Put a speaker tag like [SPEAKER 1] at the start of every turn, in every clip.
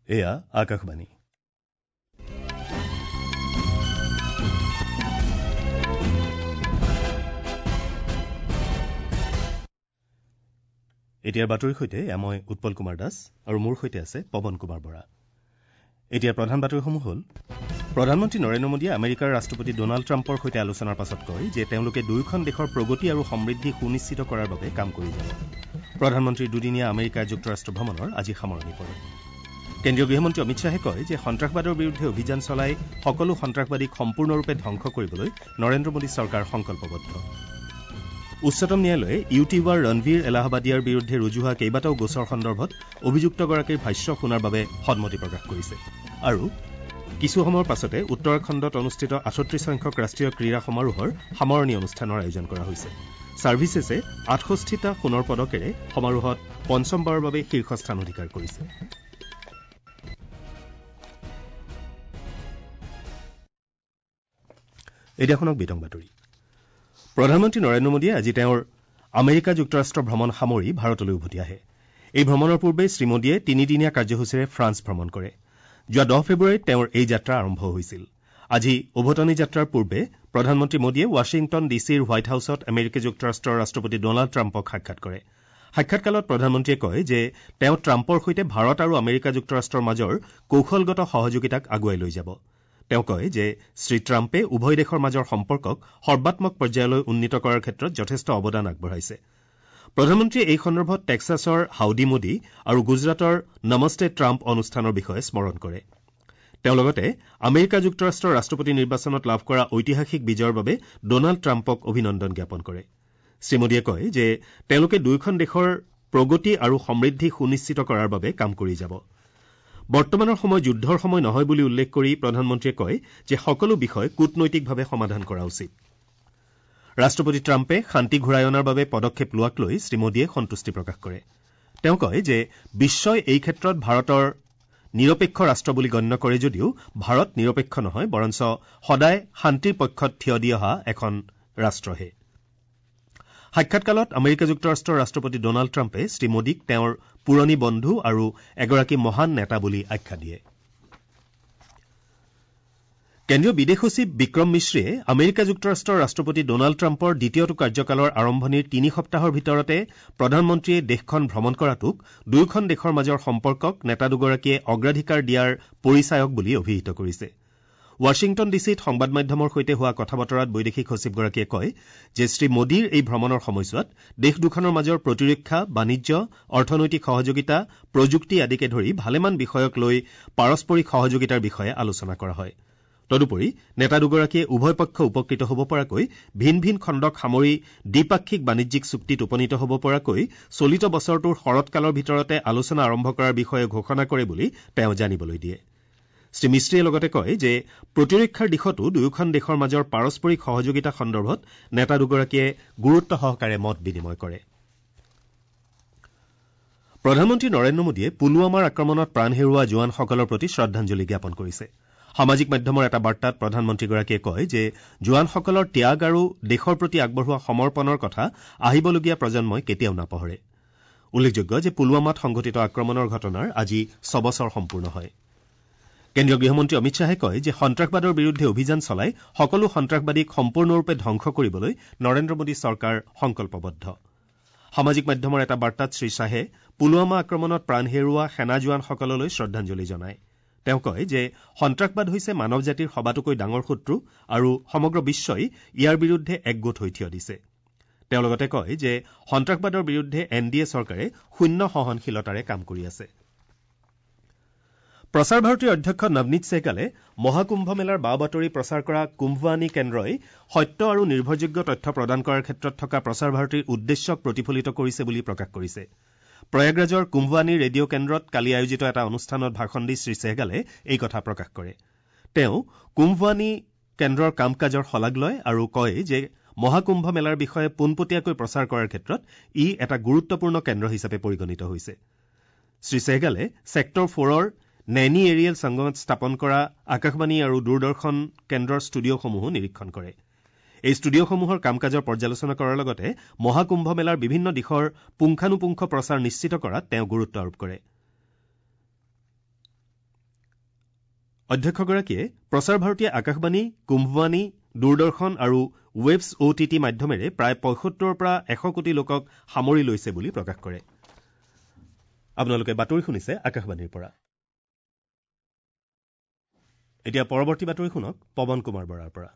[SPEAKER 1] এয়া আকাশবাণী। এতিয়াৰ বাতৰিৰ সৈতে মই উৎপল কুমাৰ দাস আৰু মোৰ সৈতে আছে পৱন কুমাৰ বৰা। এতিয়া প্ৰধান বাতৰিসমূহ হ'ল: প্ৰধানমন্ত্ৰী নৰেন্দ্ৰ মোদীয়ে আমেৰিকাৰ ৰাষ্ট্ৰপতি ডনাল্ড ট্ৰাম্পৰ সৈতে আলোচনাৰ পাছত কয় যে তেওঁলোকে দুয়োখন দেশৰ প্ৰগতি আৰু সমৃদ্ধি সুনিশ্চিত কৰাৰ বাবে কাম কৰি যাব। প্ৰধানমন্ত্ৰীৰ দুদিনীয়া আমেৰিকা যুক্তৰাষ্ট্ৰ ভ্ৰমণৰ আজি সামৰণি পৰে। কেন্দ্ৰীয় গৃহমন্ত্ৰী অমিত শ্বাহে কয় যে সন্ত্ৰাসবাদৰ বিৰুদ্ধে অভিযান চলাই সকলো সন্ত্ৰাসবাদীক সম্পূৰ্ণৰূপে ধ্বংস কৰিবলৈ নৰেন্দ্ৰ মোদী চৰকাৰ সংকল্পবদ্ধ। উচ্চতম ন্যায়ালয়ে ইউটিউবাৰ ৰণবীৰ এলাহাবাদিয়াৰ বিৰুদ্ধে ৰুজু হোৱা কেইবাটাও গোচৰ সন্দৰ্ভত অভিযুক্তগৰাকীৰ ভাষ্য শুনাৰ বাবে সন্মতি প্ৰকাশ কৰিছে। আৰু কিছু সময়ৰ পাছতে উত্তৰাখণ্ডত অনুষ্ঠিত ৩৮ সংখ্যক ৰাষ্ট্ৰীয় ক্ৰীড়া সমাৰোহৰ সামৰণি অনুষ্ঠানৰ আয়োজন কৰা হৈছে। ছাৰ্ভিচেছে ৬৮টা সোণৰ পদকেৰে সমাৰোহত পঞ্চমবাৰৰ বাবে শীৰ্ষস্থান অধিকাৰ কৰিছে। এতিয়া শুনক বিতং বাতৰি। প্ৰধানমন্ত্ৰী নৰেন্দ্ৰ মোদীয়ে আজি তেওঁৰ আমেৰিকা যুক্তৰাষ্ট্ৰ ভ্ৰমণ সামৰি ভাৰতলৈ উভতি আহে। এই ভ্ৰমণৰ পূৰ্বে শ্ৰীমোদীয়ে তিনিদিনীয়া কাৰ্যসূচীৰে ফ্ৰান্স ভ্ৰমণ কৰে। যোৱা ১০ ফেব্ৰুৱাৰীত তেওঁৰ এই যাত্ৰা আৰম্ভ হৈছিল। আজি ওভতনি যাত্ৰাৰ পূৰ্বে প্ৰধানমন্ত্ৰী মোদীয়ে ৱাশ্বিংটন ডি চিৰ হোৱাইট হাউছত আমেৰিকা যুক্তৰাষ্ট্ৰৰ ৰাষ্ট্ৰপতি ডনাল্ড ট্ৰাম্পক সাক্ষাৎ কৰে। সাক্ষাৎকালত প্ৰধানমন্ত্ৰীয়ে কয় যে তেওঁ ট্ৰাম্পৰ সৈতে ভাৰত আৰু আমেৰিকা যুক্তৰাষ্ট্ৰৰ মাজৰ কৌশলগত সহযোগিতাক আগুৱাই লৈ যাব। তেওঁ কয় যে শ্ৰীট্ৰাম্পে উভয় দেশৰ মাজৰ সম্পৰ্কক সৰ্বাত্মক পৰ্যায়লৈ উন্নীত কৰাৰ ক্ষেত্ৰত যথেষ্ট অৱদান আগবঢ়াইছে। প্ৰধানমন্ত্ৰীয়ে এই সন্দৰ্ভত টেক্সাছৰ হাউডি মোদী আৰু গুজৰাটৰ নমস্তে ট্ৰাম্প অনুষ্ঠানৰ বিষয়ে স্মৰণ কৰে। তেওঁ লগতে আমেৰিকা যুক্তৰাষ্ট্ৰৰ ৰাষ্ট্ৰপতি নিৰ্বাচনত লাভ কৰা ঐতিহাসিক বিজয়ৰ বাবে ডনাল্ড ট্ৰাম্পক অভিনন্দন জ্ঞাপন কৰে। শ্ৰীমোদীয়ে কয় যে তেওঁলোকে দুয়োখন দেশৰ প্ৰগতি আৰু সমৃদ্ধি সুনিশ্চিত কৰাৰ বাবে কাম কৰি যাব। বৰ্তমানৰ সময় যুদ্ধৰ সময় নহয় বুলি উল্লেখ কৰি প্ৰধানমন্ত্ৰীয়ে কয় যে সকলো বিষয় কূটনৈতিকভাৱে সমাধান কৰা উচিত। ৰাষ্ট্ৰপতি ট্ৰাম্পে শান্তি ঘূৰাই অনাৰ বাবে পদক্ষেপ লোৱাক লৈ শ্ৰীমোদীয়ে সন্তুষ্টি প্ৰকাশ কৰে। তেওঁ কয় যে বিশ্বই এই ক্ষেত্ৰত ভাৰতৰ নিৰপেক্ষ ৰাষ্ট্ৰ বুলি গণ্য কৰে যদিও ভাৰত নিৰপেক্ষ নহয়, বৰঞ্চ সদায় শান্তিৰ পক্ষত থিয় দি অহা এখন ৰাষ্ট্ৰহে। সাক্ষাৎকালত আমেৰিকা যুক্তৰাষ্ট্ৰৰ ৰাষ্ট্ৰপতি ডনাল্ড ট্ৰাম্পে শ্ৰীমোদীক তেওঁৰ পুৰণি বন্ধু আৰু এগৰাকী মহান নেতা বুলি আখ্যা দিয়ে। কেন্দ্ৰীয় বিদেশ সচিব বিক্ৰম মিশ্ৰীয়ে আমেৰিকা যুক্তৰাষ্ট্ৰৰ ৰাষ্ট্ৰপতি ডনাল্ড ট্ৰাম্পৰ দ্বিতীয়টো কাৰ্যকালৰ আৰম্ভণিৰ ৩ সপ্তাহৰ ভিতৰতে প্ৰধানমন্ত্ৰীয়ে দেশখন ভ্ৰমণ কৰাটোক দুয়োখন দেশৰ মাজৰ সম্পৰ্কক নেতা দুগৰাকীয়ে অগ্ৰাধিকাৰ দিয়াৰ পৰিচায়ক বুলি অভিহিত কৰিছে। ৱাশ্বিংটন ডি চিত সংবাদ মাধ্যমৰ সৈতে হোৱা কথা বতৰাত বৈদেশিক সচিবগৰাকীয়ে কয় যে শ্ৰীমোদীৰ এই ভ্ৰমণৰ সময়ছোৱাত দেশ দুখনৰ মাজৰ প্ৰতিৰক্ষা, বাণিজ্য, অৰ্থনৈতিক সহযোগিতা, প্ৰযুক্তি আদিকে ধৰি ভালেমান বিষয়ক লৈ পাৰস্পৰিক সহযোগিতাৰ বিষয়ে আলোচনা কৰা হয়। তদুপৰি নেতা দুগৰাকীয়ে উভয় পক্ষ উপকৃত হ'ব পৰাকৈ ভিন ভিন খণ্ডক সামৰি দ্বিপাক্ষিক বাণিজ্যিক চুক্তিত উপনীত হ'ব পৰাকৈ চলিত বছৰটোৰ শৰৎকালৰ ভিতৰতে আলোচনা আৰম্ভ কৰাৰ বিষয়ে ঘোষণা কৰে বুলি তেওঁ জানিবলৈ দিয়ে। শ্ৰীমিশ্ৰীয়ে লগতে কয় যে প্ৰতিৰক্ষাৰ দিশতো দুয়োখন দেশৰ মাজৰ পাৰস্পৰিক সহযোগিতা সন্দৰ্ভত নেতা দুগৰাকীয়ে গুৰুত্ব সহকাৰে মত বিনিময় কৰে। প্ৰধানমন্ত্ৰী নৰেন্দ্ৰ মোদীয়ে পুলৱামাৰ আক্ৰমণত প্ৰাণ হেৰুওৱা জোৱানসকলৰ প্ৰতি শ্ৰদ্ধাঞ্জলি জ্ঞাপন কৰিছে। সামাজিক মাধ্যমৰ এটা বাৰ্তাত প্ৰধানমন্ত্ৰীগৰাকীয়ে কয় যে জোৱানসকলৰ ত্যাগ আৰু দেশৰ প্ৰতি আগবঢ়োৱা সমৰ্পণৰ কথা আহিবলগীয়া প্ৰজন্মই কেতিয়াও নাপাহৰে। উল্লেখযোগ্য যে পুলৱামাত সংঘটিত আক্ৰমণৰ ঘটনাৰ আজি ৬ বছৰ সম্পূৰ্ণ হয়। কেন্দ্ৰীয় গৃহমন্ত্ৰী অমিত শ্বাহে কয় যে সন্ত্ৰাসবাদৰ বিৰুদ্ধে অভিযান চলাই সকলো সন্ত্ৰাসবাদীক সম্পূৰ্ণৰূপে ধ্বংস কৰিবলৈ নৰেন্দ্ৰ মোদী চৰকাৰ সংকল্পবদ্ধ। সামাজিক মাধ্যমৰ এটা বাৰ্তাত শ্ৰীশ্বাহে পুলৱামা আক্ৰমণত প্ৰাণ হেৰুওৱা সেনা জোৱানসকললৈ শ্ৰদ্ধাঞ্জলি জনায়। তেওঁ কয় যে সন্ত্ৰাসবাদ হৈছে মানৱ জাতিৰ সবাতোকৈ ডাঙৰ শত্ৰু আৰু সমগ্ৰ বিশ্বই ইয়াৰ বিৰুদ্ধে একগোট হৈ থিয় দিছে। তেওঁ লগতে কয় যে সন্ত্ৰাসবাদৰ বিৰুদ্ধে এন ডি এ চৰকাৰে শূন্য সহনশীলতাৰে কাম কৰি আছে। প্ৰচাৰ ভাৰতীৰ অধ্যক্ষ নৱনীত ছেহগালে মহাকুম্ভ মেলাৰ বা বাতৰি প্ৰচাৰ কৰা কুম্ভৱানী কেন্দ্ৰই সত্য আৰু নিৰ্ভৰযোগ্য তথ্য প্ৰদান কৰাৰ ক্ষেত্ৰত থকা প্ৰচাৰ ভাৰতীৰ উদ্দেশ্যক প্ৰতিফলিত কৰিছে বুলি প্ৰকাশ কৰিছে। প্ৰয়াগৰাজৰ কুম্ভৱানী ৰেডিঅ' কেন্দ্ৰত কালি আয়োজিত এটা অনুষ্ঠানত ভাষণ দি শ্ৰীছেহগালে এই কথা প্ৰকাশ কৰে। তেওঁ কুম্ভৱানী কেন্দ্ৰৰ কাম কাজৰ শলাগ লয় আৰু কয় যে মহাকুম্ভ মেলাৰ বিষয়ে পোনপটীয়াকৈ প্ৰচাৰ কৰাৰ ক্ষেত্ৰত ই এটা গুৰুত্বপূৰ্ণ কেন্দ্ৰ হিচাপে পৰিগণিত হৈছে। শ্ৰীছেহগালে ছেক্টৰ ফ'ৰৰ নেনী এৰিয়েল সংগমত স্থাপন কৰা আকাশবাণী আৰু দূৰদৰ্শন কেন্দ্ৰৰ ষ্টুডিঅ'সমূহো নিৰীক্ষণ কৰে। এই ষ্টুডিঅ'সমূহৰ কাম কাজৰ পৰ্যালোচনা কৰাৰ লগতে মহাকুম্ভ মেলাৰ বিভিন্ন দিশৰ পুংখানুপুংখ প্ৰচাৰ নিশ্চিত কৰাত তেওঁ গুৰুত্ব আৰোপ কৰে। অধ্যক্ষগৰাকীয়ে প্ৰচাৰ ভাৰতীয়ে আকাশবাণী, কুম্ভবাণী, দূৰদৰ্শন আৰু ৱেবছ অ' টি টি মাধ্যমেৰে প্ৰায় ৭৫ৰ পৰা ১০০ কোটি লোকক সামৰি লৈছে বুলি প্ৰকাশ কৰে। আপোনালোকে বাতৰি শুনিছে আকাশবাণীৰ পৰা। এতিয়া পৰৱৰ্তী বাতৰি শুনক পৱন কুমাৰ বৰাৰ পৰা।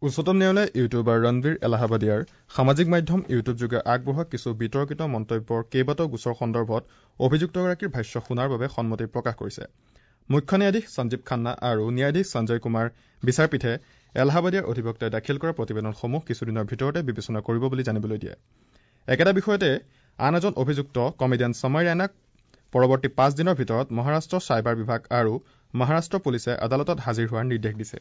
[SPEAKER 2] উচ্চতম ন্যায়ালয়ে ইউটিউবাৰ ৰণবীৰ এলাহাবাদিয়াৰ সামাজিক মাধ্যম ইউটিউবযোগে আগবঢ়োৱা কিছু বিতৰ্কিত মন্তব্যৰ কেইবাটাও গোচৰ সন্দৰ্ভত অভিযুক্তগৰাকীৰ ভাষ্য শুনাৰ বাবে সন্মতি প্ৰকাশ কৰিছে। মুখ্য ন্যায়াধীশ সঞ্জীৱ খান্না আৰু ন্যায়াধীশ সঞ্জয় কুমাৰ বিচাৰপীঠে এলাহাবাদিয়াৰ অধিবক্তাই দাখিল কৰা প্ৰতিবেদনসমূহ কিছুদিনৰ ভিতৰতে বিবেচনা কৰিব বুলি জানিবলৈ দিয়ে। একেটা বিষয়তে আন এজন অভিযুক্ত কমেডিয়ান সময় ৰাইনাক পৰৱৰ্তী ৫ দিনৰ ভিতৰত মহাৰাষ্ট্ৰ চাইবাৰ বিভাগ আৰু মহাৰাষ্ট্ৰ পুলিচে আদালতত হাজিৰ হোৱাৰ নিৰ্দেশ দিছে।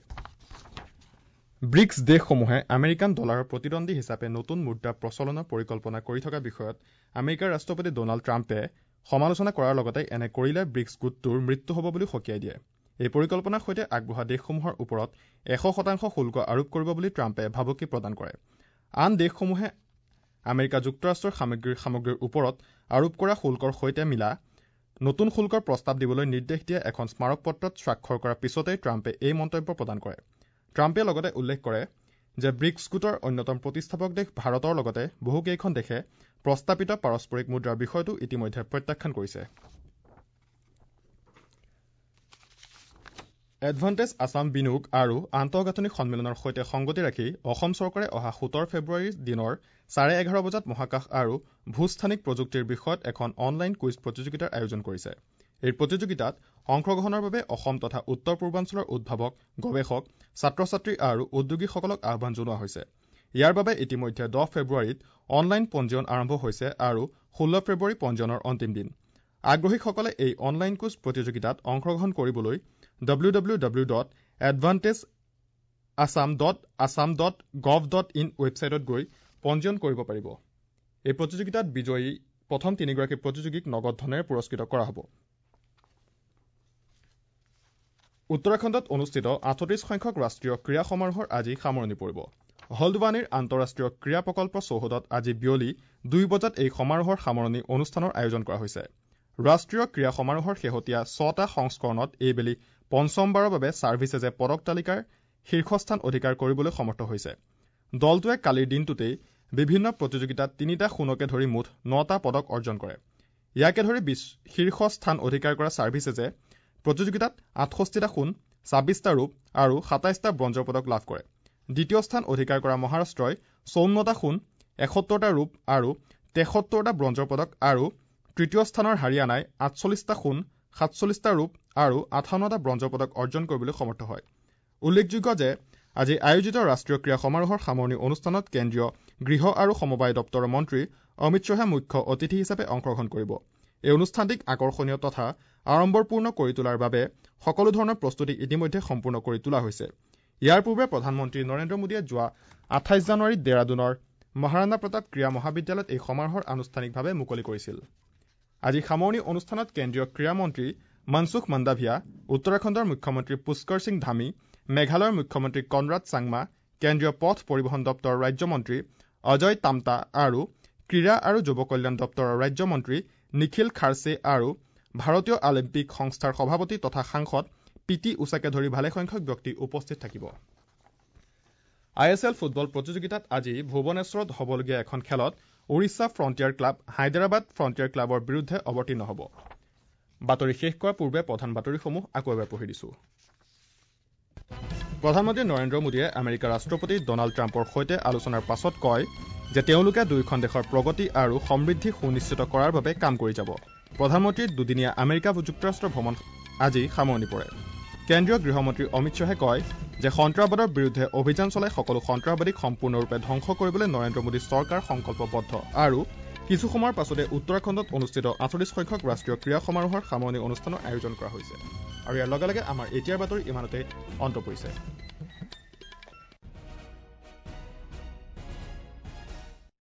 [SPEAKER 2] ব্ৰিক্স দেশসমূহে আমেৰিকান ডলাৰৰ প্ৰতিদ্বন্দ্বী হিচাপে নতুন মুদ্ৰা প্ৰচলনৰ পৰিকল্পনা কৰি থকা বিষয়ত আমেৰিকাৰ ৰাষ্ট্ৰপতি ডনাল্ড ট্ৰাম্পে সমালোচনা কৰাৰ লগতে এনে কৰিলে ব্ৰিক্স গোটটোৰ মৃত্যু হ'ব বুলি সকীয়াই দিয়ে। এই পৰিকল্পনাৰ সৈতে আগবঢ়া দেশসমূহৰ ওপৰত ১০০% শুল্ক আৰোপ কৰিব বুলি ট্ৰাম্পে ভাবুকি প্ৰদান কৰে। আন দেশসমূহে আমেৰিকা যুক্তৰাষ্ট্ৰৰ সামগ্ৰীৰ ওপৰত আৰোপ কৰা শুল্কৰ সৈতে মিলা নতুন শুল্কৰ প্ৰস্তাৱ দিবলৈ নিৰ্দেশ দিয়া এখন স্মাৰকপত্ৰত স্বাক্ষৰ কৰাৰ পিছতেই ট্ৰাম্পে এই মন্তব্য প্ৰদান কৰে। ট্ৰাম্পে লগতে উল্লেখ কৰে যে ব্ৰিক্স গোটৰ অন্যতম প্ৰতিষ্ঠাপক দেশ ভাৰতৰ লগতে বহুকেইখন দেশে প্ৰস্তাৱিত পাৰস্পৰিক মুদ্ৰাৰ বিষয়টো ইতিমধ্যে প্ৰত্যাখ্যান কৰিছে। এডভান্টেজ আছাম বিনিয়োগ আৰু আন্তঃগাঁথনি সন্মিলনৰ সৈতে সংগতি ৰাখি অসম চৰকাৰে অহা ১৭ ফেব্ৰুৱাৰীৰ দিনৰ 11:30 বজাত মহাকাশ আৰু ভূস্থানিক প্ৰযুক্তিৰ বিষয়ত এখন অনলাইন কুইজ প্ৰতিযোগিতাৰ আয়োজন কৰিছে। এই প্ৰতিযোগিতাত অংশগ্ৰহণৰ বাবে অসম তথা উত্তৰ পূৰ্বাঞ্চলৰ উদ্ভাৱক, গৱেষক, ছাত্ৰ ছাত্ৰী আৰু উদ্যোগীসকলক আহ্বান জনোৱা হৈছে। ইয়াৰ বাবে ইতিমধ্যে ১০ ফেব্ৰুৱাৰীত অনলাইন পঞ্জীয়ন আৰম্ভ হৈছে আৰু ১৬ ফেব্ৰুৱাৰী পঞ্জীয়নৰ অন্তিম দিন। আগ্ৰহীসকলে এই অনলাইন কুইজ প্ৰতিযোগিতাত অংশগ্ৰহণ কৰিবলৈ www.advantageassam.assam.gov.in ৱেবছাইটত গৈ পঞ্জীয়ন কৰিব পাৰিব। এই প্ৰতিযোগিতাত বিজয়ী প্ৰথম তিনিগৰাকী প্ৰতিযোগীক নগদ ধনেৰে পুৰস্কৃত কৰা হ'ব। উত্তৰাখণ্ডত অনুষ্ঠিত ৩৮ সংখ্যক ৰাষ্ট্ৰীয় ক্ৰীড়া সমাৰোহৰ আজি সামৰণি পৰিব। হলদ্বানীৰ আন্তঃৰাষ্ট্ৰীয় ক্ৰীড়া প্ৰকল্প চৌহদত আজি বিয়লি ২ বজাত এই সমাৰোহৰ সামৰণি অনুষ্ঠানৰ আয়োজন কৰা হৈছে। ৰাষ্ট্ৰীয় ক্ৰীড়া সমাৰোহৰ শেহতীয়া ৬টা সংস্কৰণত এইবেলি পঞ্চমবাৰৰ বাবে ছাৰ্ভিচেজে পদক তালিকাৰ শীৰ্ষস্থান অধিকাৰ কৰিবলৈ সমৰ্থ হৈছে। দলটোৱে কালিৰ দিনটোতেই বিভিন্ন প্ৰতিযোগিতাত ৩টা সোণকে ধৰি মুঠ ৯টা পদক অৰ্জন কৰে। ইয়াকে ধৰি শীৰ্ষ স্থান অধিকাৰ কৰা ছাৰ্ভিচেজে প্ৰতিযোগিতাত ৬৮টা সোণ, ২৬টা ৰূপ আৰু ২৭টা ব্ৰঞ্জৰ পদক লাভ কৰে। দ্বিতীয় স্থান অধিকাৰ কৰা মহাৰাষ্ট্ৰই ৫৪টা সোণ, ৭১টা ৰূপ আৰু ৭৩টা ব্ৰঞ্জৰ পদক আৰু তৃতীয় স্থানৰ হাৰিয়ানাই ৪৮টা সোণ, ৪৭টা ৰূপ আৰু ৫৮টা ব্ৰঞ্জৰ পদক অৰ্জন কৰিবলৈ সমৰ্থ হয়। উল্লেখযোগ্য যে আজি আয়োজিত ৰাষ্ট্ৰীয় ক্ৰীড়া সমাৰোহৰ সামৰণি অনুষ্ঠানত কেন্দ্ৰীয় গৃহ আৰু সমবায় দপ্তৰৰ মন্ত্ৰী অমিত শ্বাহে মুখ্য অতিথি হিচাপে অংশগ্ৰহণ কৰিব। এই অনুষ্ঠানটিক আকৰ্ষণীয় তথা আড়ম্বৰপূৰ্ণ কৰি তোলাৰ বাবে সকলো ধৰণৰ প্ৰস্তুতি ইতিমধ্যে সম্পূৰ্ণ কৰি তোলা হৈছে। ইয়াৰ পূৰ্বে প্ৰধানমন্ত্ৰী নৰেন্দ্ৰ মোদীয়ে যোৱা ২৮ জানুৱাৰীত ডেৰাডুনৰ মহাৰাণা প্ৰতাপ ক্ৰীড়া মহাবিদ্যালয়ত এই সমাৰোহৰ আনুষ্ঠানিকভাৱে মুকলি কৰিছিল। আজি সামৰণি অনুষ্ঠানত কেন্দ্ৰীয় ক্ৰীড়া মন্ত্ৰী মনসুখ মাণ্ডাভিয়া, উত্তৰাখণ্ডৰ মুখ্যমন্ত্ৰী পুষ্কৰ সিং ধামী, মেঘালয়ৰ মুখ্যমন্ত্ৰী কনৰাড চাংমা, কেন্দ্ৰীয় পথ পৰিবহণ দপ্তৰৰ ৰাজ্যমন্ত্ৰী অজয় তামতা আৰু ক্ৰীড়া আৰু যুৱ কল্যাণ দপ্তৰৰ ৰাজ্যমন্ত্ৰী নিখিল খাৰ্চে আৰু ভাৰতীয় অলিম্পিক সংস্থাৰ সভাপতি তথা সাংসদ পি টি উষাকে ধৰি ভালেসংখ্যক ব্যক্তি উপস্থিত থাকিব। I S L football প্ৰতিযোগিতাত আজি ভুৱনেশ্বৰত হ'বলগীয়া এখন খেলত Odisha frontier club Hyderabad frontier ক্লাবৰ বিৰুদ্ধে অৱতীৰ্ণ হ'ব। বাতৰি শেষ কৰাৰ পূৰ্বে প্ৰধান বাতৰিসমূহ আকৌ এবাৰ পঢ়ি দিছো। প্ৰধানমন্ত্ৰী নৰেন্দ্ৰ মোদীয়ে আমেৰিকাৰ ৰাষ্ট্ৰপতি ডনাল্ড ট্ৰাম্পৰ সৈতে আলোচনাৰ পাছত কয় যে তেওঁলোকে দুয়োখন দেশৰ প্ৰগতি আৰু সমৃদ্ধি সুনিশ্চিত কৰাৰ বাবে কাম কৰি যাব। প্ৰধানমন্ত্ৰীৰ দুদিনীয়া আমেৰিকা যুক্তৰাষ্ট্ৰ ভ্ৰমণ আজি সামৰণি পৰে। কেন্দ্ৰীয় গৃহমন্ত্ৰী অমিত শ্বাহে কয় যে সন্ত্ৰাসবাদৰ বিৰুদ্ধে অভিযান চলাই সকলো সন্ত্ৰাসবাদীক সম্পূৰ্ণৰূপে ধ্বংস কৰিবলৈ নৰেন্দ্ৰ মোদী চৰকাৰ সংকল্পবদ্ধ আৰু কিছু সময়ৰ পাছতে উত্তৰাখণ্ডত অনুষ্ঠিত ৪৮ সংখ্যক ৰাষ্ট্ৰীয় ক্ৰীড়া সমাৰোহৰ সামৰণি অনুষ্ঠানৰ আয়োজন কৰা হৈছে। আৰু ইয়াৰ লগে লগে আমাৰ এতিয়াৰ বাতৰি ইমানতে অন্ত পৰিছে।